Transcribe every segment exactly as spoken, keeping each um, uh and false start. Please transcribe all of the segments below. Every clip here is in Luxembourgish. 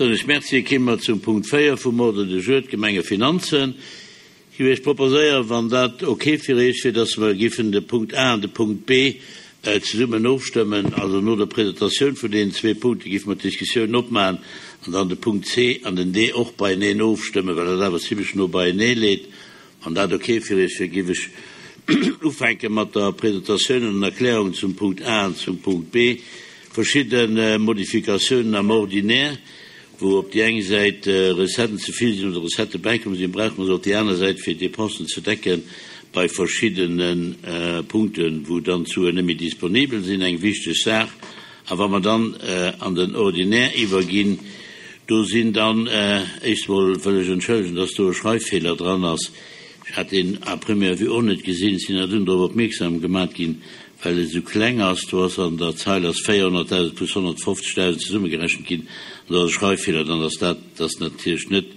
Soen ech Merci. Kéime mer zum Punkt véier vum Ordre du jour, d'Gemengefinanzen. Ech géif Iech proposéieren, wann dat ok fir Iech wier, dass mer giffen de Punkt A an de Punkt B zesummen ofstëmmen. Also no der Presentatioun vun deenen zwee Punkte giffe mer d'Diskussioun opmaachen an dann de Punkt C an den D och beieneen ofstëmmen, well dat awer zimlech no beienee leet. Wann dat ok fir Iech wier, giff ech ufänke mat der Presentatioun an den Erklärungen zum Punkt A an zum Punkt B. Verschidde Modifikatiounen am Ordinaire, wou op déi eng Säit Recetten ze vill sinn oder Recettë bäikomm sinn, brauche mer se op déi aner Säit, fir d'Dépensen ze decken bei verschiddene Punkten, wou dann d'Suen net méi disponibel sinn, eng wichteg Saach. A wa mer dann an den Ordinaire iwwerginn, do sinn dann, éischt emol wëll ech entschëllegen, dass do e Schreiffeeler dran ass, ech hat deen à première vue och net gesinn, ech sinn awer dunn drop opmierksam gemat ginn, well e sou kleng ass, do ass an der Zeil ass véierhonnertdausend plus honnertfofzegdausend zesummegerechent ginn an do ass e Schreiffeeler dran, dass dat, dass natierlech net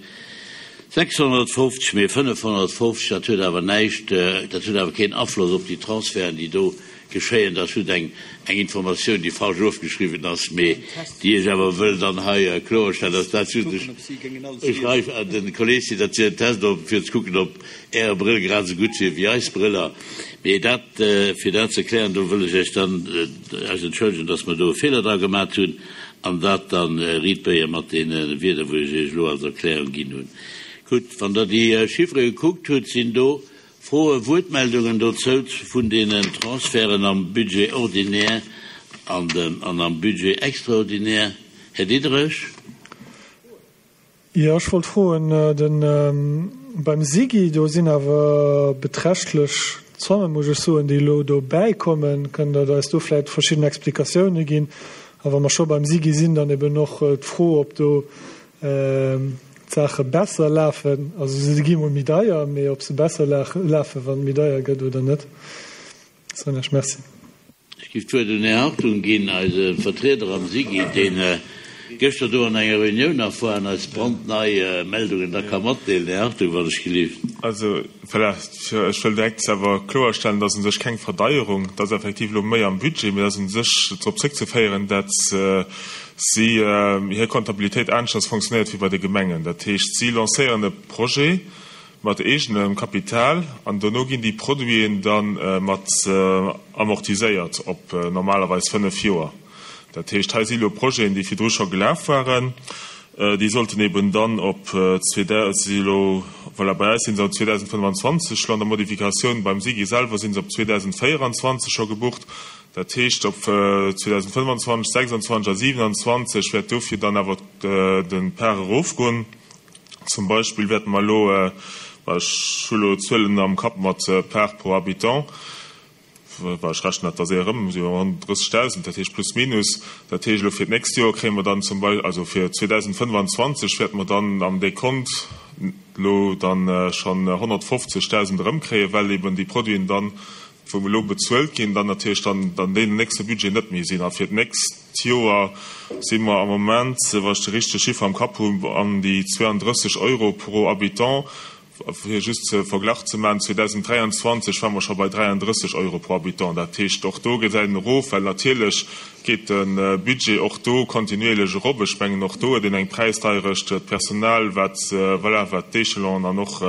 sechshonnertfofzeg, mee fënnefhonnertfofzeg, dat huet awer näischt, dat huet awer keen Afloss op déi Transferten, déi do geschéien. Dat ass just eng eng Informatioun, déi falsch ofgeschriwwen ass, mee déi ech awer wëll dann hei kloerstellen, dass dat just e Schreif an de Kolleg sinn, dat wier en Test, op fir ze kucken, ob Äre Brëll grad esou gutt wier wéi eis Brëller. Mee dat, fir dat ze klären, do wëll ech Iech dann eis entschëllegen, dass mer do e Feeler dra gemat hunn an dat da riitbéie mat deene Wierder, wou ech Iech elo als Erklärung ginn hunn. Gutt, wann Der déi Chiffere gekuckt hutt, sinn do Froen, Wuertmeldungen dozou vun deenen Transferten am Budget ordinaire an dem an am Budget extraordinaire? Här Diderich. Jo, ech wollt froen, de beim SIGI, do sinn awer beträchtlech Zommen, muss ech soen, déi elo do bäikommen. Kënnt Der eis do vläicht verschidden Explikatioune ginn? A wa mer scho beim SIGI sinn, dann eben och d'Fro, ob do d'Saache besser lafen, also se gi mol méi deier, mee ob se besser lafen, wann et méi deier gëtt oder net. Soen ech Merci. Ech géif d'Wuert un Här Hartung ginn, eise Vertrieder am SIGI, deen gëschter do an enger Reunioun nach war an eis brandnei Meldungen da ka matdeelen. Här Hartung, wann ech gelift. Also, voilà, ech wëll direkt awer kloerstellen, dass u sech keng Verdeierung, et ass effektiv elo méi am Budget, mee et ass u sech drop zréckzeféieren, dat si hir Comptabilitéit aneschters fonctionnéiert wéi bei de Gemengen. Dat heescht, si lancéieren e Projet mat eegenem Kapital an dono ginn déi Produiten da mat amortiséiert op normalerweis fënnef Joer. Dat heescht, hei si elo Projeten, déi virdru scho gelaf waren, déi sollten eben dann op, si elo, voilà, bei eis si se op zweedausendfënnefanzwanzeg elo an der Modifikatioun, beim SIGI selwer si se op zweedausendvéieranzwanzeg scho gebucht. Dat heescht, op zweedausendfënnefanzwanzeg, sechsanzwanzeg a siewenanzwanzeg wäert dofir dann awer de Part erofgoen. Zum Beispill wäerte mer elo, ech hu elo d'Zuelen am Kapp mat Part pro Habitant, well ech rechnen dat da séier erëm, si mer honnertdrëssegdausend, dat heescht plus minus. Dat heescht, elo fir d'nächst Joer kréie mer dann zum Beispill, also fir zweedausendfënnefanzwanzeg wäerte mer dann am Dekont elo dann schonn honnertfofzegdausend erëmkréien, well eben déi Produiten dann, wou elo bezuelt ginn, dann natierlech dann an deenen nächste Budget net méi sinn. A fir d'nächst Joer si mer am Moment, wa ech de richtege Chiffer am Kapp hunn, an déi zweiunddrësseg Euro pro Habitant. Fir just de Verglach ze maachen, zweedausendräianzwanzeg ware mer scho bei dräianddrësseg Euro pro Habitant. Dat heescht, och do gesäit een erof, well natierlech geet de Budget och do kontinuierlech erop. Ech mengen, och do huet een eng Präisdeierecht, d'Personal, wat, voilà, wat d'Échelonen an och,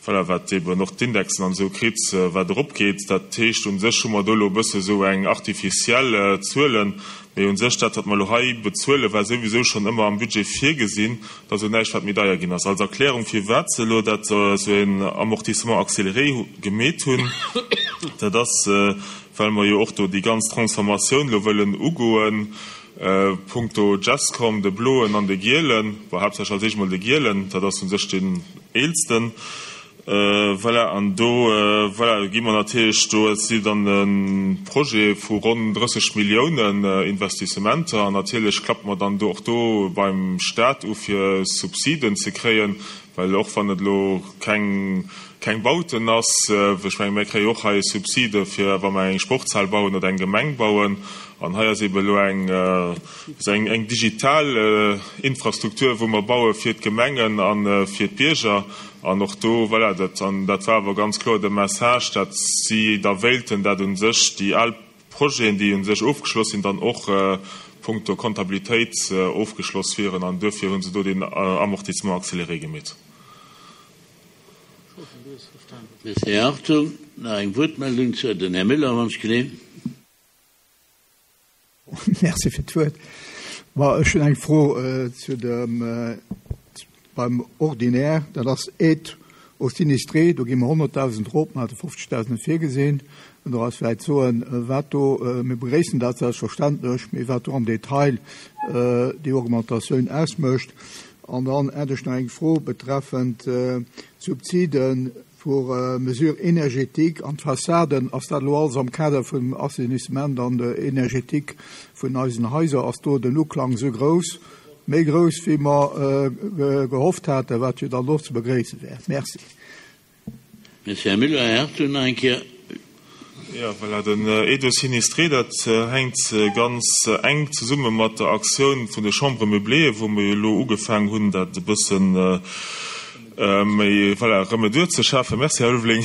voilà, wat eben och d'Indexen an esou kritt, wat eropgeet. Dat heescht, u sech hu mer do elo e bësse sou eng artificielle Zuelen, mee u sech dat, wat mer elo hei bezuelen, war souwisou schonn ëmmer am Budget virgesinn. Dat ass elo näischt, wat méi deier ginn ass. Als Erklärung, firwat se elo dat esou en Amortissement accéléré gemeet hunn, dat ass, well mer jo och do déi ganz Transformatioun elo wëllen ugoen, punkto Gescom, de bloen an de gielen, bon, haaptsächlech als éischt emol de gielen, dat ass u sech deen eelsten. Voilà, an do, voilà, gi mer natierlech, do si dann e Projet vu ronn drësseg Milliounen Investissementer an natierlech klappe mer dann do och do beim Stat u fir Subsiden ze kréien, well och wann et elo keng, keng Bauten ass, ech menge mir kréie och hei Subside fir wa mer eng Sportshal bauen oder eng Gemeng bauen an hei ass eeben elo eng, eng, eng digital Infrastruktur wou mer baue fir d'Gemengen a fir d'Bierger. An och do, voilà, dat, an dat war awer ganz kloer de Message, dat si da wéilten, dat u sech déi al Projeten, déi u sech ofgeschloss sinn, dann och punkto Comptabilitéit ofgeschloss wieren an duerfir hu se do deen Amortissement accéléré gemeet. Merci, Här Hartung. Nach eng Wuertmeldung zu den Här Müller, wann ech geleen. Merci fir d'Wuert. Ma ech hunn eng Fro zu dem beim Ordinaire, dat ass Aide aux sinistrés, do gi mer honnertdausend erop, mer hate fofzegdausend virgesinn. Kënnt Der eis vläicht soen, wat do, mir begréissen dat selbstverständlech, mee wat do am Detail déi Augmentatioun ausmécht? An dann hätt ech nach eng Fro betreffend d'Subside pour mesures énergétiques an d'Fassaden. Ass dat elo alles am Kader vum Assainissement an der Énergétique vun eisen Haiser? Ass do den Uklang esou grouss, méi grouss wéi mer gehofft haten, wat jo dann och ze begréisse wär? Merci. Merci, Här Müller. Här Hartung nach eng Kéier. Jo, voilà, den Aide aux sinistrés, dat hänkt ganz enk zesumme mat der Aktioun vun de Chambres meublées, wou mer jo elo ugefaangen hunn, dat e bësse méi, voilà, Remedur ze schafen. Merci, Här Ulveling.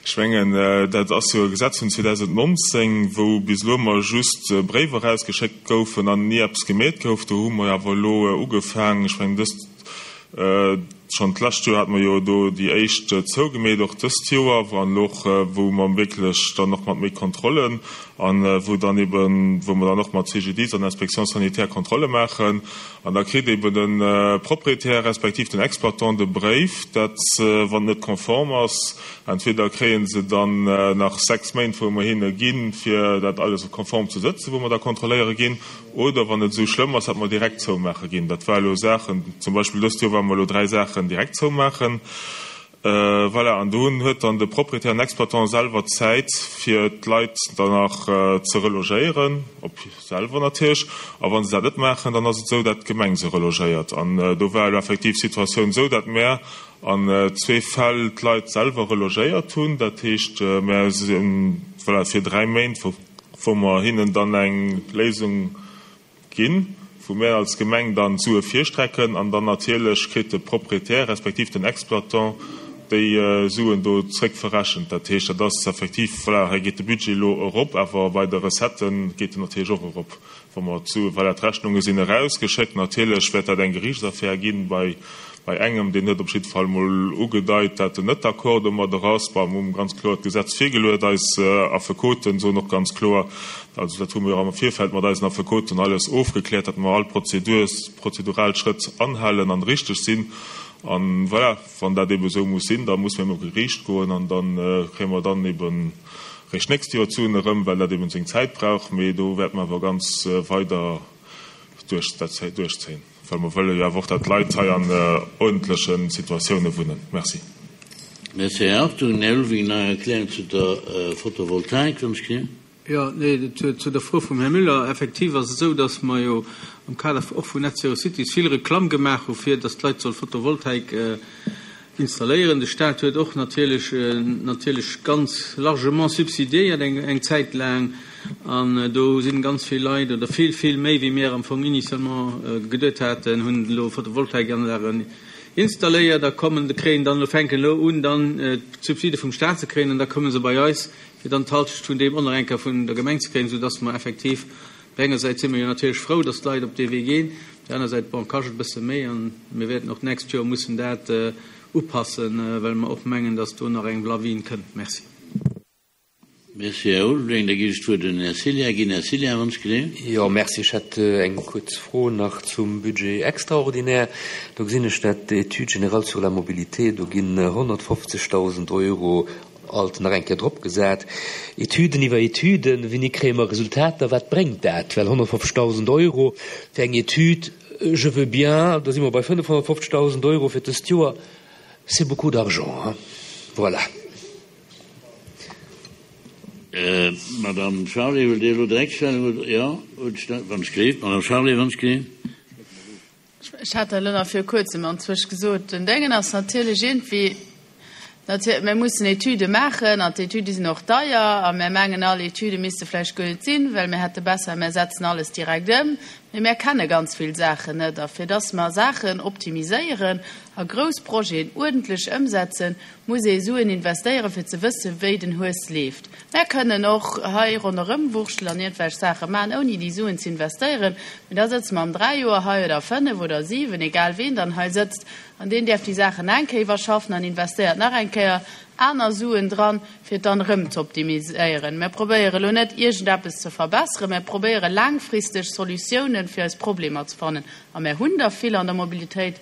Ech mengen, dat ass jo e Gesetz vun zweedausendnonzéng, wou bis elo ëmmer just Bréiwer erausgeschéckt goufen an ni eppes gemeet gouf. Do hu mer awer elo ugefaangen, ech mengen, dëst, Schonn d'lescht Joer hate mer jo do déi éischt zougemeet, och dëst Joer, wou an elo och, wou mer wierklech dann och mat méi Kontrollen an wou dann eben, wou mer dann och mat C G D I S an Inspection sanitaire Kontrolle maachen. An da kritt eben de Propriétaire respektiv den Exploitant de Bréif, dat wann et net konform ass, entweder kréie se dann nach sechs Méint, wou mer hinne ginn, fir dat alles konform ze sëtzen, wou mer da kontrolléiere ginn, oder wann et esou schlëmm ass, datt mer direkt zoumaache ginn. Dat war elo Saachen, zum Beispill dëst Joer ware mer elo dräi Saachen direkt zoumaachen. Voilà, an do huet dann de Propriétaire an Exploitant selwer Zäit, fir d'Leit dann nach ze relogéieren, op selwer natierlech. A wa se dat net maachen, dann ass et esou, datt d'Gemeng se relogéiert. An do war elo effektiv d'Situatioun esou, datt mär an zwee Fäll d'Leit selwer relogéiert hunn. Dat heescht, mär sinn, voilà, fir dräi Méint, wou mer hinnen dann eng Léisung ginn, wou mär als Gemeng dann d'Sue virstrecken an dann natierlech kritt de Proprietär respektiv den Exploitant déi Suen do zréckverrechent. Dat heescht, dat ass effektiv, voilà, hei geet de Budget elo erop, awer bei de Recettë geet en natierlech och erop, wa mer d'Sue, voilà, d'Rechnunge sinn erausgeschéckt. Natierlech wäert dat eng Geriichtsaffär ginn bei Bei engem, deen huet op jidde Fall mol ugedeit, dat en net d'accord domadder ass. Bon, mir hu ganz kloer d'Gesetz virgeluet. Eis Affekoten soen och ganz kloer, also dat hu mir jo am Virfeld mat eisen Affekoten alles ofgekläert, datt mer all Prozedurs, prozedural Schrëtt anhalen an richteg sinn. An voilà, wann dat eebe esou muss sinn, da musse mir no Geriicht goen an da kréie mer dann eebe réischt d'nächst Joer d'Suen erëm, well dat eeben seng Zäit brauch. Mee do wäerte mer awer ganz weider duerch dat duerchzéien, well mer wëlle jo awer och, datt d'Leit hei an uerdentleche Situatioune wunnen. Merci. Merci, Här Hartung. Här Ulveling, nach eng Erklärung zu der Photovoltaik, wann ech gesinn. Jo, nee, zu der Fro vum Här Müller. Effektiv ass et esou, datt mer jo am Kader och vun Net Zero Cities vill Reklamm gemaach hu fir datt d'Leit solle Photovoltaik installéieren. De Staat huet och natierlech natierlech ganz largement subsidiéiert eng eng Zäit laang an do sinn ganz vill Leit oder vill vill méi wéi mir am Fong initialement geduet haten, hunn elo Photovoltaikanlagen installéiert a kommen kréien dann elo fänken elo un dann d'Subside vum Staat ze kréien an da komme se bei eis fir dann d'Halschent vun deem och nach eng Kéier vun der Gemeng ze kréien, soudass mer effektiv op der enger Säit si mer jo natierlech frou, dass d'Leit op dee Wee ginn, op der aner Säit, bon, kascht et e bësse méi an mir wäerten och d'nächst Joer mussen dat upassen, well mer och mengen, dass do nach eng Lawin kënnt. Merci. Merci, Här Ulveling. Da ginn ech d'Wuert un den Här Cillien. Ginn, Här Cillien, wann ech gesinn. Jo, merci. Ech hätt eng kuerz Fro nach zum Budget extraordinaire. Do gesinn ech dat Études générales sur la mobilité, do ginn honnertfofzegdausend Euro alt nach eng Kéier drop gesat. Etüden iwwer Etüden, wéini kréie mer Resultater, wat bréngt dat? Well honnertfofzegdausend Euro fir eng Etüd, je veux bien, da si mer bei fënnefhonnertfofzegdausend Euro fir dëst Joer, c'est beaucoup d'argent, hein. Voilà. Madame Charlé, wëllt Dir elo direkt Stellung oder? Jo, wann ech gleef. Madame Charlé, wann ech gleef. Ech hat dat elo nach viru Kuerzem anzwësch gesot. Den Déngen ass natierlech iergendwéi, natierlech, mir mussen Etüde maachen an d'Etüde sinn och deier a mir mengen all, Etüde misste vläicht guer net sinn, well mir hätte besser, mir setzen alles direkt ëm. Mee mär kenne ganz vill Saachen net. A fir dass mer Saachen optimiséieren a grouss Projeten uerdentlech ëmsetzen, muss ee Suen investéieren, fir ze wëssen, wéi den Hues leeft. Mär kënnen och hei ronderëmwurschtelen an iergendwelch Saache maachen, ouni déi Suen ze investéieren. Mee da sëtze mer an dräi Joer hei oder fënnef oder siwen, egal ween dann hei sëtzt, an deen däerf déi Saachen nach eng Kéier iwwerschaffen an investéiert nach eng Kéier aner Suen dran, fir et dann erëm ze optimiséieren. Mir probéiere elo net, iergendeppes ze verbesseren, mir probéiere laangfristeg Solutiounen fir eis Problemer ze fannen. A mir hunn der vill an der Mobilitéit,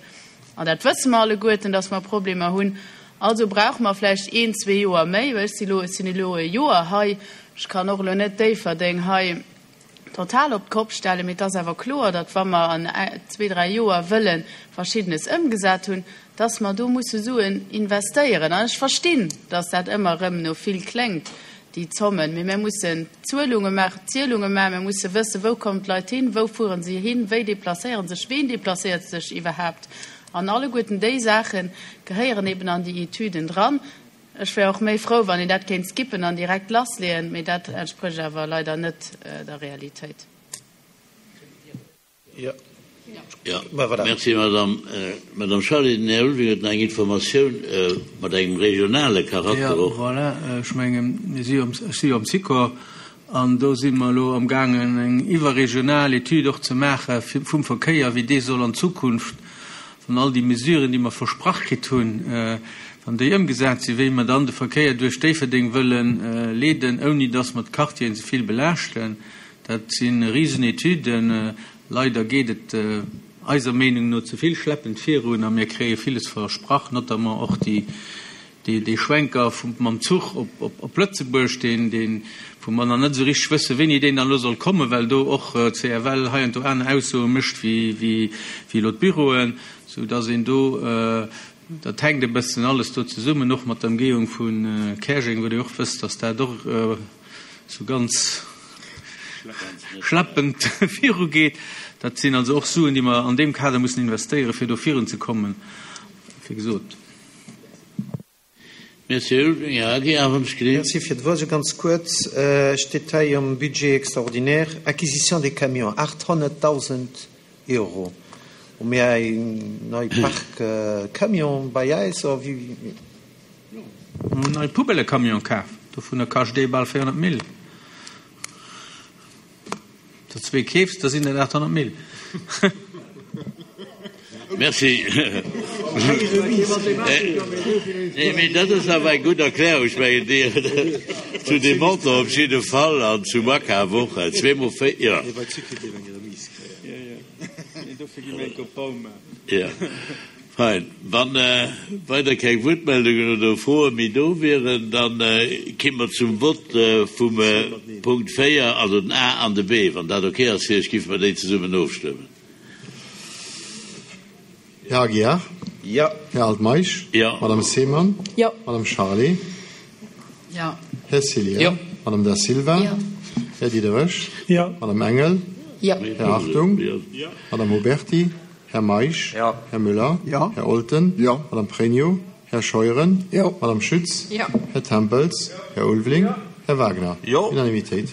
an dat wësse mer alleguerten, dass mer Problemer hunn. Also brauche mer vläicht een, zwee Joer méi, well ech si elo, ech sinn elo e Joer hei, ech kann och elo net Déifferdeng hei total op d'Kopp stellen, mee et ass awer kloer, datt wa mer an zwee, dräi Joer wëlle Verschiddenes ëmgesat hunn, datt mer do musse Suen investéieren. An ech verstinn, datt dat ëmmer erëm no vill kléngt, déi Zommen, mee mir mussen Zuelunge maachen, Zielunge maachen, mir musse wëssen, wou kommen d'Leit hin, wou fuere se hin, wéi deplacéiere sech, ween deplacéiert sech iwwerhaapt. An alleguerten déi Saache gehéieren eben an déi Etüden dran. Ech wär och méi frou, wann een dat kéint skippen an direkt lassleeën, mee dat entsprécht awer leider net der Realitéit. Jo, merci, Madame. Madame Charlé, den Här Ulveling huet nach eng Informatioun mat engem regionale Charakter och. Jo, voilà, ech mengen, mir si jo, ech si jo am Sikor an do si mer elo amgaangen, eng iwwerregional Etüd och ze maache vum Verkéier, wéi dee soll an Zukunft, wann all déi Mesuren, déi mer versprach kritt hunn, wann déi ëmgesat sinn, wéi mer dann de Verkéier duerch Déifferdeng wëlle leeden, ouni dass mer d'Quartieren ze vill belaaschten. Dat si Risenetüden. Leider geet et eiser Meenung no ze vill schleppend virun a mir kréie villes versprach, notamment och déi, dee Schwenker mam Zuch op Lëtzebuerg, deen, wou mer nach net esou richteg wëssen, wéini deen dann elo soll kommen, well do och d'CFL hei an do aner Aussoe mécht wéi elo d'Büroen, sou dass een do, dat hänkt e bëssen alles do zesummen, och mat der Ëmgehung vu Käerjeng, wou Dir och wësst, dass dat och esou ganz schleppend virugeet. Dat sinn also och Suen, déi mer an deem Kader mussen investéieren, fir do virunzekommen, wéi gesot. Merci, Här Ulveling. Här Aguiar, wann ech geleent. Merci fir d'Wuert. Esou ganz kuerz, steet hei am Budget extraordinaire, Acquisition des camions, aathonnertdausend Euro. Hu mir eng nei Park Camion bei eis, oder wéi? Mir hunn en neie Poubellëcamion kaf, dovunner kascht ee bal véierhonnert Mille. Der zwee keefs, da sinn dat aathonnert Mille. Merci. Nee, mee dat ass awer eng gutt Erklärung. Ech mengen, déi zu deem Montant op jidde Fall an zum Akaf och. Zweemol véier, jo. Jo, fein. Wa weider keng Wuertmeldungen oder Froe méi do wieren, da ki mer zum Vott vum Punkt véier, also den A an de B. Wann dat ok ass fir Iech, géife mer déi zesummen ofstëmmen. Här Aguiar? Jo. Här Altmeisch? Jo. Madame Seemann? Jo. Madame Charlé? Jo. Här Cillien? Jo. Madame Da Silva? Jo. Här Diderich? Jo. Madame Engel? Jo. Här Hartung? Jo. Madame Oberti? Här Meisch? Jo. Här Müller? Jo. Här Olten? Jo. Madame Pregno? Här Scheuren? Jo. Madame Schütz? Jo. Här Tempels? Här Ulveling? Jo. Här Wagner? Jo. Unanimitéit.